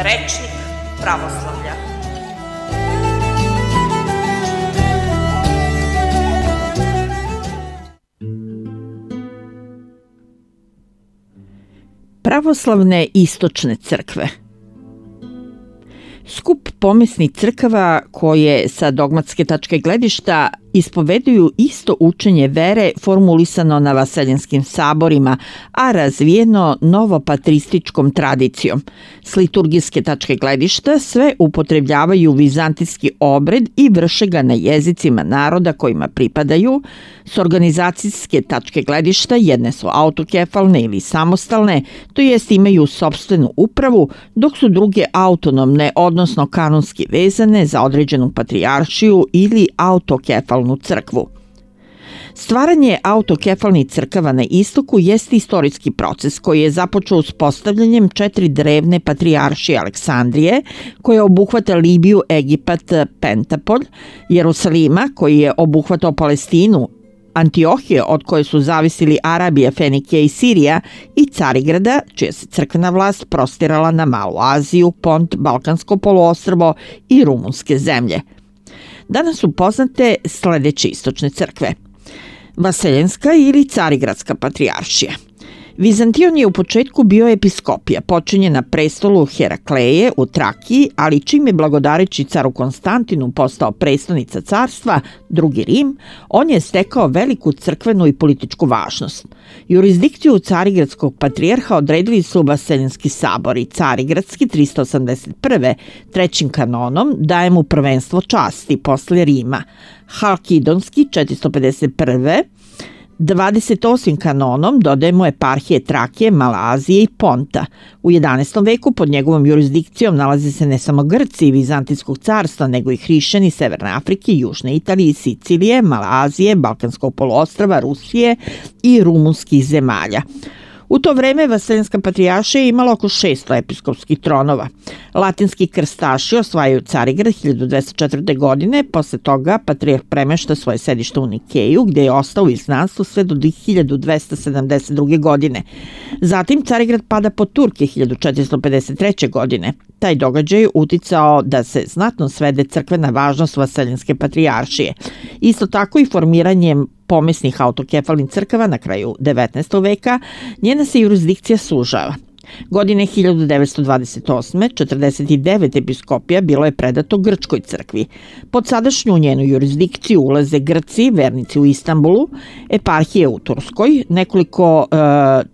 Rečnik pravoslavlja. Pravoslavne istočne crkve. Skup pomesnih crkava koje sa dogmatske tačke gledišta ispoveduju isto učenje vere formulisano na vaseljenskim saborima, a razvijeno novopatrističkom tradicijom. S liturgijske tačke gledišta sve upotrebljavaju vizantijski obred i vrše ga na jezicima naroda kojima pripadaju. S organizacijske tačke gledišta jedne su autokefalne ili samostalne, to jest imaju sopstvenu upravu, dok su druge autonomne, odnosno kanonski vezane za određenu patrijaršiju ili autokefalnu crkvu. Stvaranje autokefalnih crkava na istoku jeste istorijski proces koji je započeo uspostavljanjem 4 drevne patrijaršije Aleksandrije, koja obuhvata Libiju, Egipat, Pentapolj, Jerusalima, koji je obuhvatao Palestinu, Antiohije, od koje su zavisili Arabija, Fenikija i Sirija, i Carigrada, čija se crkvena vlast prostirala na Malu Aziju, Pont, Balkansko poluostrvo i rumunske zemlje. Danas su poznate sledeće istočne crkve. Vaseljenska ili Carigradska patrijaršija. Vizantion je u početku bio episkopija, počinje na prestolu Herakleje u Trakiji, ali čim je blagodareći caru Konstantinu postao prestonica carstva, drugi Rim, on je stekao veliku crkvenu i političku važnost. Jurisdikciju Carigradskog patrijarha odredili su Vaseljenski sabor i Carigradski 381. trećim kanonom daje mu prvenstvo časti posle Rima, Halkidonski 451. 28. kanonom dodaje mu eparhije Trakije, Malazije i Ponta. U 11. veku pod njegovom jurisdikcijom nalaze se ne samo Grci i Vizantijskog carstva, nego i hrišćani Severne Afrike, Južne Italije, Sicilije, Malazije, Balkanskog poluostrva, Rusije i rumunskih zemalja. U to vreme Vaseljenska patrijaršija je imala oko 600 episkopskih tronova. Latinski krstaši osvajaju Carigrad 1204. godine, posle toga patrijarh premešta svoje sedište u Nikeju, gde je ostao u izgnanstvu sve do 1272. godine. Zatim Carigrad pada pod Turke 1453. godine. Taj događaj je uticao da se znatno svede crkvena važnost Vaseljenske patrijaršije. Isto tako i formiranjem pomesnih autokefalnih crkava na kraju 19. veka, njena se jurisdikcija sužava. Godine 1928. 49 episkopija bilo je predato Grčkoj crkvi. Pod sadašnju njenu jurisdikciju ulaze Grci, vernici u Istanbulu, eparhije u Turskoj, nekoliko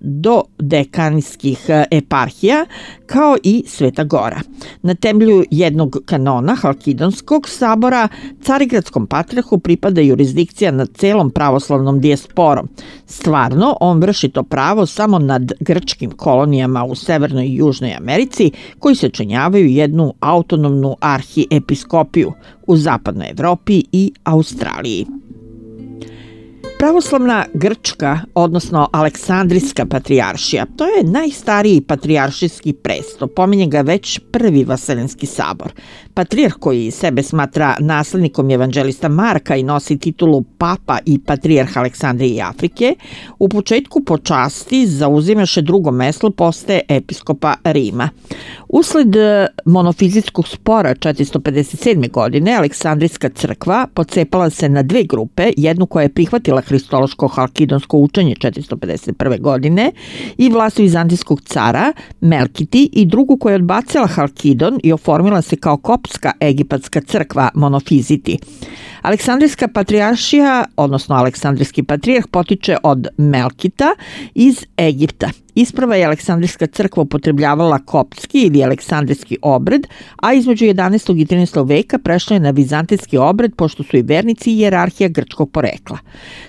dodekanijskih eparhija, kao i Sveta Gora. Na temelju jednog kanona Halkidonskog sabora Carigradskom patrijarhu pripada jurisdikcija nad celom pravoslavnom dijasporom. Stvarno, on vrši to pravo samo nad grčkim kolonijama u Severnoj i Južnoj Americi, koji sačinjavaju jednu autonomnu arhiepiskopiju u Zapadnoj Evropi i Australiji. Pravoslavna Grčka, odnosno Aleksandrijska patrijaršija, to je najstariji patrijaršijski presto, pominje ga već prvi Vaseljenski sabor. Patrijarh koji sebe smatra naslednikom evanđelista Marka i nosi titulu papa i patrijarh Aleksandrije i Afrike, u početku po časti zauzimaše drugo mesto, postaje episkopa Rima. Usled monofizitskog spora 457. godine Aleksandrijska crkva pocepala se na dve grupe, jednu koja je prihvatila hristološko halkidonsko učenje 451. godine i vlast vizantijskog cara Melkiti i drugu koja je odbacila Halkidon i oformila se kao koptska egipatska crkva monofiziti. Aleksandrijska patrijaršija, odnosno Aleksandrijski patrijarh, potiče od Melkita iz Egipta. Isprva je Aleksandrijska crkva upotrebljavala koptski ili aleksandrijski obred, a između 11. i 13. veka prešla je na vizantijski obred, pošto su i vernici i hijerarhija grčkog porekla.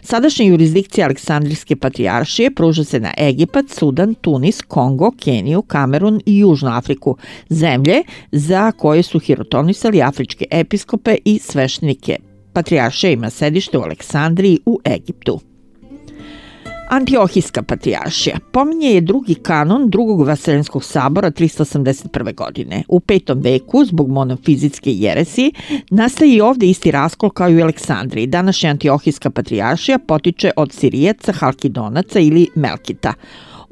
Sadašnja jurisdikcija Aleksandrijske patrijaršije pruža se na Egipat, Sudan, Tunis, Kongo, Keniju, Kamerun i Južnu Afriku, zemlje za koje su hirotonisali afričke episkope i sveštenike. Patrijaršija ima sedište u Aleksandriji u Egiptu. Antiohijska patrijaršija pominje je drugi kanon drugog Vaseljenskog sabora 381. godine. U 5. veku, zbog monofizitske jeresi, nastaje i ovde isti raskol kao i u Aleksandriji. Današnja Antiohijska patrijaršija potiče od Sirijaca, Halkidonaca ili Melkita.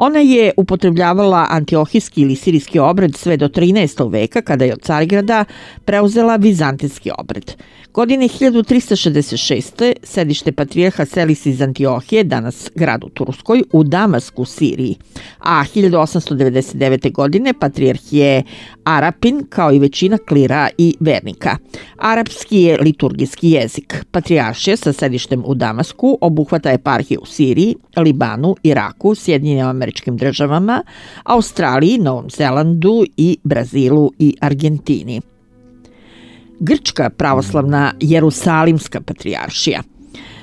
Ona je upotrebljavala antiohijski ili sirijski obred sve do 13. veka kada je od Carigrada preuzela vizantijski obred. Godine 1366. sedište patrijarha seli se iz Antiohije, danas grad u Turskoj, u Damasku, Siriji, a 1899. godine patrijarh je Arapin kao i većina klira i vernika. Arapski je liturgijski jezik. Patrijaršija sa sedištem u Damasku obuhvata eparhije u Siriji, Libanu, Iraku, Sjedinjenim Američkim Državama, Australiji, Novom Zelandu i Brazilu i Argentini. Grčka pravoslavna Jerusalimska patrijaršija.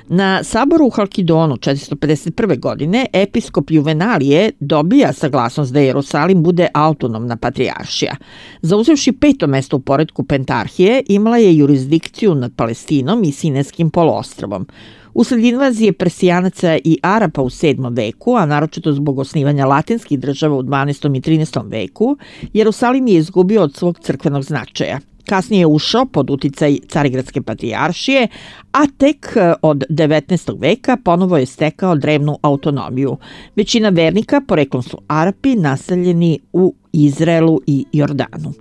Na saboru u Halkidonu 451. godine episkop Juvenalije dobija saglasnost da Jerusalim bude autonomna patrijaršija. Zauzevši 5. mesto u poretku pentarhije, imala je jurisdikciju nad Palestinom i Sinajskim poluostrvom. Usled invazije Persijanaca i Arapa u 7. veku, a naročito zbog osnivanja latinskih država u 12. i 13. veku, Jerusalim je izgubio od svog crkvenog značaja. Kasnije je ušao pod uticaj Carigradske patrijaršije, a tek od 19. veka ponovo je stekao drevnu autonomiju. Većina vernika poreklom su Arapi naseljeni u Izraelu i Jordanu.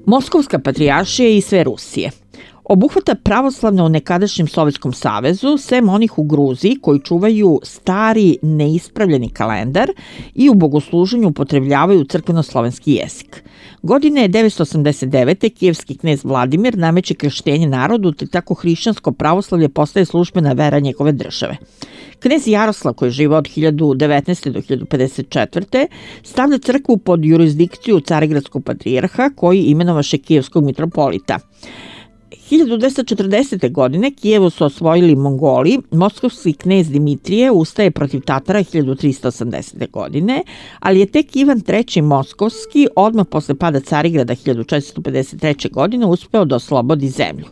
Moskovska patrijaršija i sve Rusije. Obuhvata pravoslavne u nekadašnjem Sovjetskom savezu, sem onih u Gruziji koji čuvaju stari neispravljeni kalendar i u bogosluženju upotrebljavaju crkveno-slovenski jezik. Godine 989. kijevski knez Vladimir nameće krštenje narodu, te tako hrišćansko pravoslavlje postaje službena vera njegove države. Knez Jaroslav, koji je živao od 1019. do 1054. stavlja crkvu pod jurisdikciju Carigradskog patrijarha koji imenovaše kijevskog mitropolita. 1240. godine Kijevo su osvojili Mongoli, moskovski knez Dimitrije ustaje protiv Tatara 1380. godine, ali je tek Ivan III. Moskovski odmah posle pada Carigrada 1453. godine uspeo da oslobodi zemlju.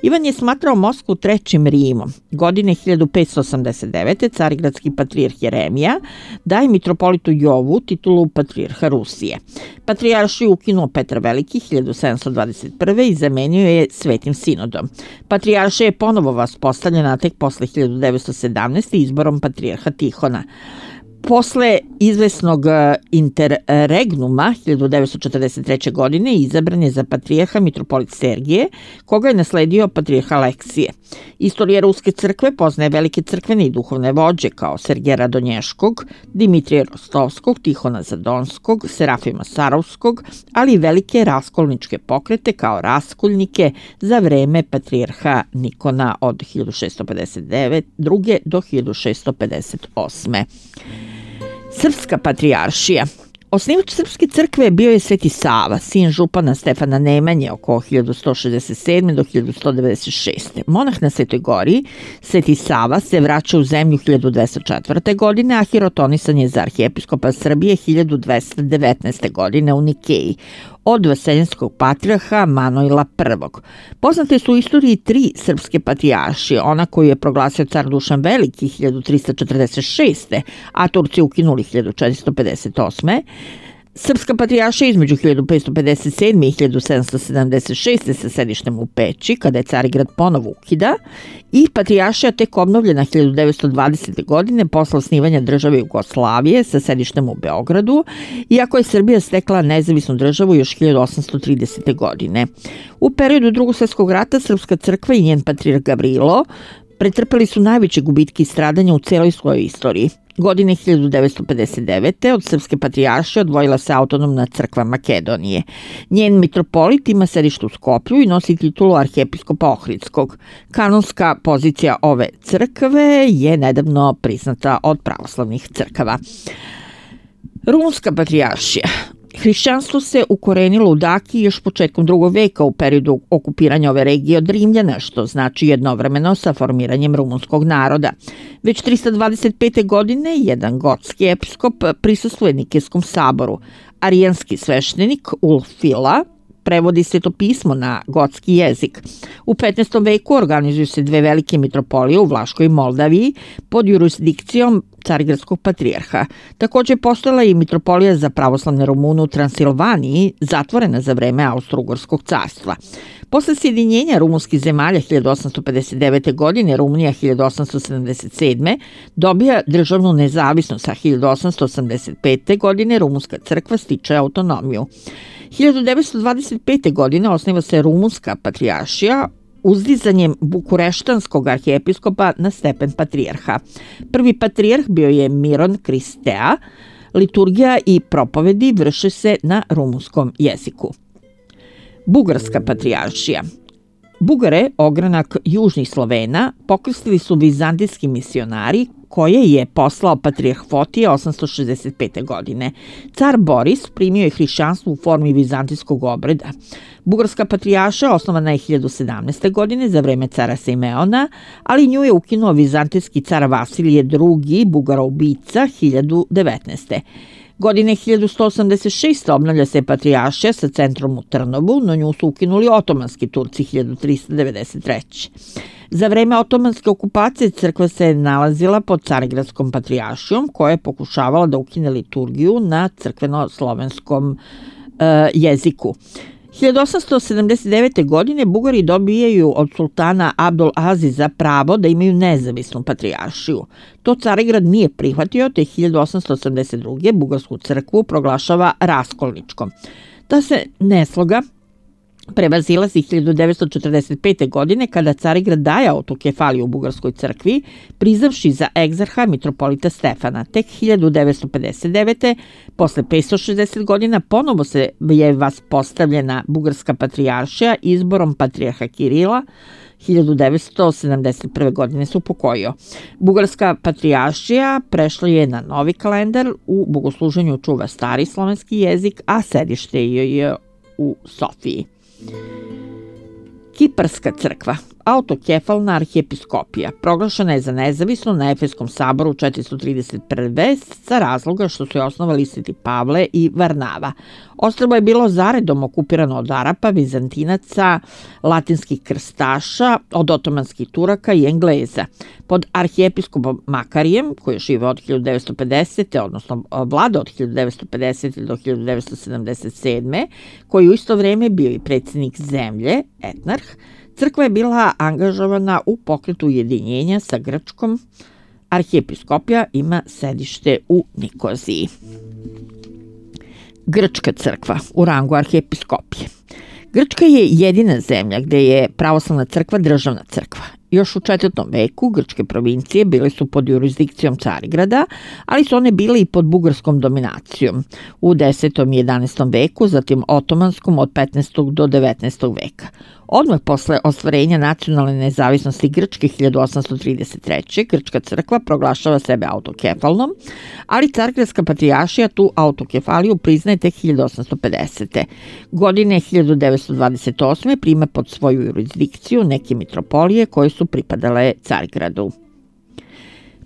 Ivan je smatrao Moskvu trećim Rimom. Godine 1589. carigradski patrijarh Jeremija daje mitropolitu Jovu titulu patrijarha Rusije. Patrijaršiju ukinuo Petar Veliki 1721. i zamenio je Svetim sinodom. Patrijaršija je ponovo vaspostavljena tek posle 1917. izborom patrijarha Tihona. Posle izvesnog interregnuma 1943. godine izabran je za patrijarha mitropolit Sergije, koga je nasledio patrijarh Aleksije. Istorija Ruske crkve poznaje velike crkvene i duhovne vođe kao Sergeja Radonješkog, Dimitrija Rostovskog, Tihona Zadonskog, Serafima Sarovskog, ali i velike raskolničke pokrete kao raskolnike za vreme patrijarha Nikona od 1652. do 1658. Srpska patrijaršija. Osnivač Srpske crkve bio je Sveti Sava, sin župana Stefana Nemanje oko 1167. do 1196. Monah na Svetoj gori, Sveti Sava se vraća u zemlju 1204. godine, a hirotonisan je za arhijepiskopa Srbije 1219. godine u Nikeji od vaseljenskog patrijarha Manojla I. Poznate su u istoriji 3 srpske patrijaršije, ona koju je proglasio car Dušan Veliki 1346. a Turci ukinuli 1458. Srpska patrijaršija između 1557. i 1776. sa sedištem u Peći, kada je Carigrad ponovo ukida, i patrijaršija tek obnovljena 1920. godine posle osnivanja države Jugoslavije sa sedištem u Beogradu, iako je Srbija stekla nezavisnu državu još 1830. godine. U periodu Drugog svjetskog rata Srpska crkva i njen patrijarh Gavrilo pretrpeli su najveće gubitke i stradanja u celoj svojoj istoriji. Godine 1959. od Srpske patrijaršije odvojila se autonomna crkva Makedonije. Njen mitropolit ima sedište u Skoplju i nosi titulu arhijepiskopa Ohridskog. Kanonska pozicija ove crkve je nedavno priznata od pravoslavnih crkava. Rumunska patrijaršija. Hrišćanstvo se ukorenilo u Daki još početkom 2. veka u periodu okupiranja ove regije od Rimljana, što znači jednovremeno sa formiranjem rumunskog naroda. Već 325. godine jedan gotski episkop prisustvuje Nikejskom saboru. Arijanski sveštenik Ulfila prevodi svetopismo na gotski jezik. U 15. veku organizuju se 2 velike mitropolije u Vlaškoj i Moldaviji pod jurisdikcijom carigradskog patrijarha. Također postojala i mitropolija za pravoslavne Rumune u Transilvaniji, zatvorena za vreme Austro-Ugarskog carstva. Posle sjedinjenja rumunskih zemalja 1859. godine, Rumunija 1877. dobija državnu nezavisnost, a 1885. godine Rumunska crkva stiče autonomiju. 1925. godine osniva se Rumunska patrijaršija uzdizanjem bukureštanskog arhijepiskopa na stepen patrijarha. Prvi patrijarh bio je Miron Kristea. Liturgija i propovedi vrše se na rumunskom jeziku. Bugarska patrijaršija. Bugare, ogranak južnih Slovena, pokrstili su vizantijski misionari koje je poslao patrijarh Fotije 865. godine. Car Boris primio je hrišćanstvo u formi vizantijskog obreda. Bugarska patrijaršija osnovana je 1017. godine za vreme cara Simeona, ali nju je ukinuo vizantijski car Vasilije II. Bugaroubica 1019. Godine 1186. obnavlja se patrijaršija sa centrom u Trnovu, no nju su ukinuli otomanski Turci 1393. Za vreme otomanske okupacije crkva se nalazila pod carigradskom patrijaršijom koja je pokušavala da ukine liturgiju na crkveno-slovenskom jeziku. 1879. godine Bugari dobijaju od sultana Abdul Aziza pravo da imaju nezavisnu patrijaršiju. To Carigrad nije prihvatio, te 1882. Bugarsku crkvu proglašava raskolničkom. Ta se nesloga prevazilazi 1945. godine kada Carigrad daje autokefaliju u Bugarskoj crkvi, prizavši za egzarha mitropolita Stefana. Tek 1959. posle 560 godina ponovo se je vaspostavljena Bugarska patrijaršija izborom patrijarha Kirila. 1971. godine se upokojio. Bugarska patrijaršija prešla je na novi kalendar, u bogosluženju čuva stari slovenski jezik, a sedište je u Sofiji. Kiparska crkva, autokefalna arhijepiskopija, proglašena je za nezavisnu na Efeskom saboru 431. sa razloga što su je osnovali Sveti Pavle i Varnava. Ostrvo je bilo zaredom okupirano od Arapa, Vizantinaca, latinskih krstaša, od otomanskih Turaka i Engleza. Pod arhijepiskopom Makarijem, koji je živeo od 1950. odnosno vlada od 1950. do 1977. koji u isto vrijeme bio i predsjednik zemlje, etnarh, crkva je bila angažovana u pokretu ujedinjenja sa Grčkom. Arhijepiskopija ima sedište u Nikoziji. Grčka crkva u rangu arhijepiskopije. Grčka je jedina zemlja gdje je pravoslavna crkva državna crkva. Još u 4. veku grčke provincije bile su pod jurisdikcijom Carigrada, ali su one bile i pod bugarskom dominacijom u 10. i 11. veku, zatim otomanskom od 15. do 19. veka. Odmah posle ostvarenja nacionalne nezavisnosti Grčke 1833. Grčka crkva proglašava sebe autokefalnom, ali Carigradska patrijaršija tu autokefaliju priznaje tek 1850. Godine 1928. prima pod svoju jurisdikciju neke mitropolije koje su pripadale Carigradu.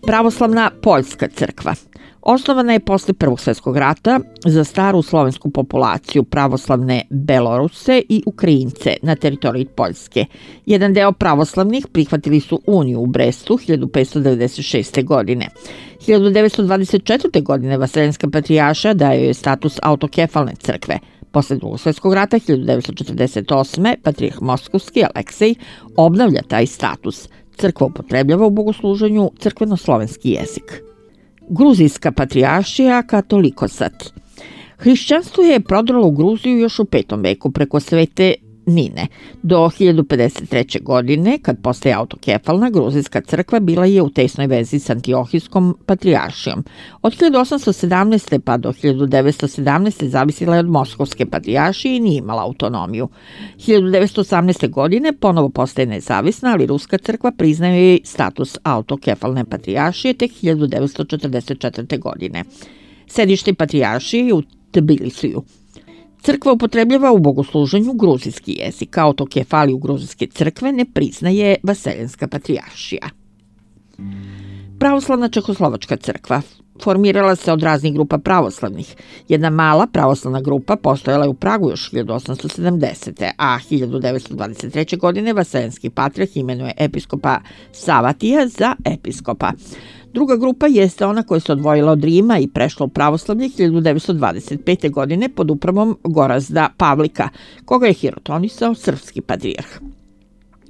Pravoslavna Poljska crkva. Osnovana je posle Prvog svjetskog rata za staru slovensku populaciju pravoslavne Beloruse i Ukrajince na teritoriji Poljske. Jedan deo pravoslavnih prihvatili su uniju u Brestu 1596. godine. 1924. godine Vaseljenska patrijaršija daje joj status autokefalne crkve. Posle Drugog svjetskog rata 1948. patrijarh Moskovski Aleksej obnavlja taj status. Crkva upotrebljava u bogosluženju crkveno-slovenski jezik. Gruzijska patrijaršija Katolikosat. Hrišćanstvo je prodrlo u Gruziju još u 5. veku preko Svete Nine. Do 1053. godine, kad postaje autokefalna, gruzijska crkva bila je u tesnoj vezi s Antiohijskom patrijaršijom. Od 1817. pa do 1917. zavisila je od Moskovske patrijaršije i nije imala autonomiju. 1918. godine ponovo postaje nezavisna, ali ruska crkva priznaje jej status autokefalne patrijaršije tek 1944. godine. Sedište patrijaršije je u Tbilisiju. Crkva upotrebljava u bogosluženju gruzijski jezik, autokefaliju gruzijske crkve ne priznaje Vaseljenska patrijaršija. Pravoslavna Čehoslovačka crkva formirala se od raznih grupa pravoslavnih. Jedna mala pravoslavna grupa postojala je u Pragu još 1870. a 1923. godine Vaseljenski patrijarh imenuje episkopa Savatija za episkopa. Druga grupa jeste ona koja se odvojila od Rima i prešla u pravoslavlje 1925. godine pod upravom Gorazda Pavlika, koga je hirotonisao srpski patrijarh.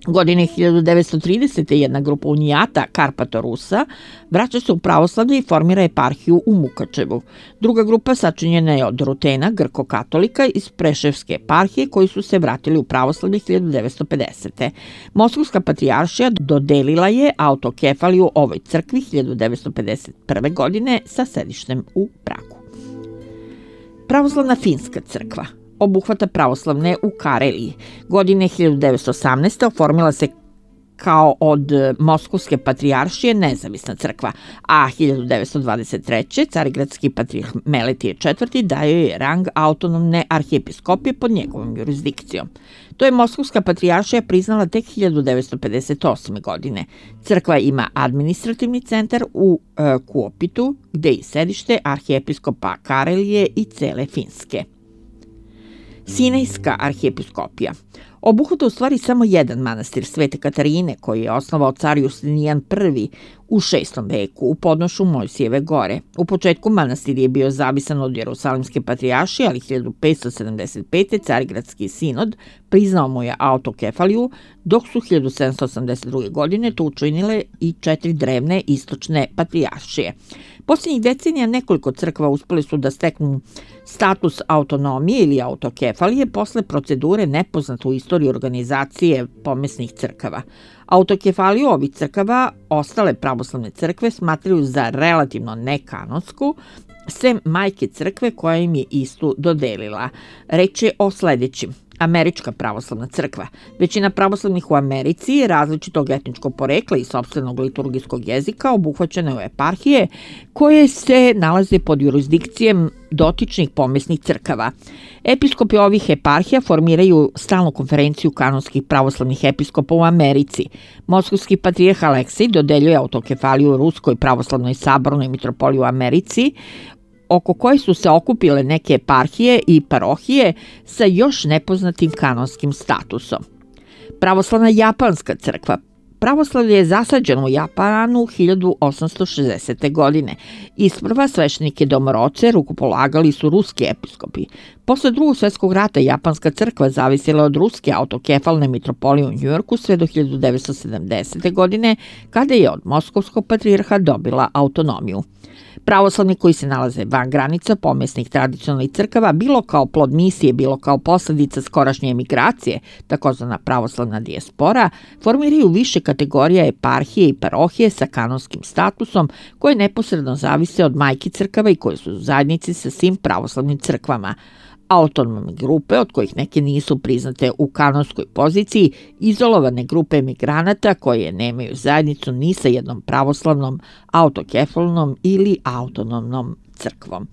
Godine 1930. jedna grupa unijata Karpatorusa vraća se u pravoslavlje i formira eparhiju u Mukačevu. Druga grupa sačinjena je od Rutena, grko-katolika iz Preševske eparhije koji su se vratili u pravoslavlje 1950. Moskovska patrijaršija dodelila je autokefaliju ovoj crkvi 1951. godine sa sedištem u Pragu. Pravoslavna finska crkva obuhvata pravoslavne u Kareliji. Godine 1918. oformila se kao od Moskovske patrijaršije nezavisna crkva, a 1923. carigradski patrijarh Meletije IV. Daje je rang autonomne arhijepiskopije pod njegovom jurisdikcijom. To je Moskovska patrijaršija priznala tek 1958. godine. Crkva ima administrativni centar u Kuopitu, gde je sedište arhijepiskopa Karelije i cele Finske. Sinejska arhijepiskopija obuhvata u stvari samo jedan manastir Svete Katarine koji je osnovao car Justinijan I u 6. veku u podnošu Mojsijeve gore. U početku manastir je bio zavisan od Jerusalimske patrijaršije, ali 1575. carigradski sinod priznao mu je autokefaliju, dok su 1782. godine to učinile i 4 drevne istočne patrijaršije. Posljednjih decenija nekoliko crkva uspeli su da steknu status autonomije ili autokefalije posle procedure nepoznate u istoriji organizacije pomesnih crkava. Autokefaliju ovih crkava ostale pravoslavne crkve smatraju za relativno nekanonsku, sem majke crkve koja im je istu dodelila. Reč je o sledećim. Američka pravoslavna crkva. Većina pravoslavnih u Americi različitog etničkog porekla i sopstvenog liturgijskog jezika obuhvaćene u eparhije koje se nalaze pod jurisdikcijem dotičnih pomesnih crkava. Episkopi ovih eparhija formiraju stalnu konferenciju kanonskih pravoslavnih episkopa u Americi. Moskovski patrijarh Aleksij dodeljuje autokefaliju Ruskoj pravoslavnoj sabornoj mitropoliji u Americi, oko koje su se okupile neke eparhije i parohije sa još nepoznatim kanonskim statusom. Pravoslavna japanska crkva. Pravoslavlje je zasađeno u Japanu 1860. godine. Isprva sveštenike domoroce rukopolagali su ruski episkopi. Posle Drugog svjetskog rata japanska crkva zavisila od ruske autokefalne mitropolije u Njujorku sve do 1970. godine, kada je od Moskovskog patrijarha dobila autonomiju. Pravoslavni koji se nalaze van granica pomesnih tradicionalnih crkava, bilo kao plod misije, bilo kao posledica skorašnje emigracije, takozvana pravoslavna dijaspora, formiraju više kategorija eparhije i parohije sa kanonskim statusom koje neposredno zavise od majki crkava i koje su u zajednici sa svim pravoslavnim crkvama. Autonomne grupe, od kojih neke nisu priznate u kanonskoj poziciji, izolovane grupe emigranata koje nemaju zajednicu ni sa jednom pravoslavnom, autokefalnom ili autonomnom crkvom.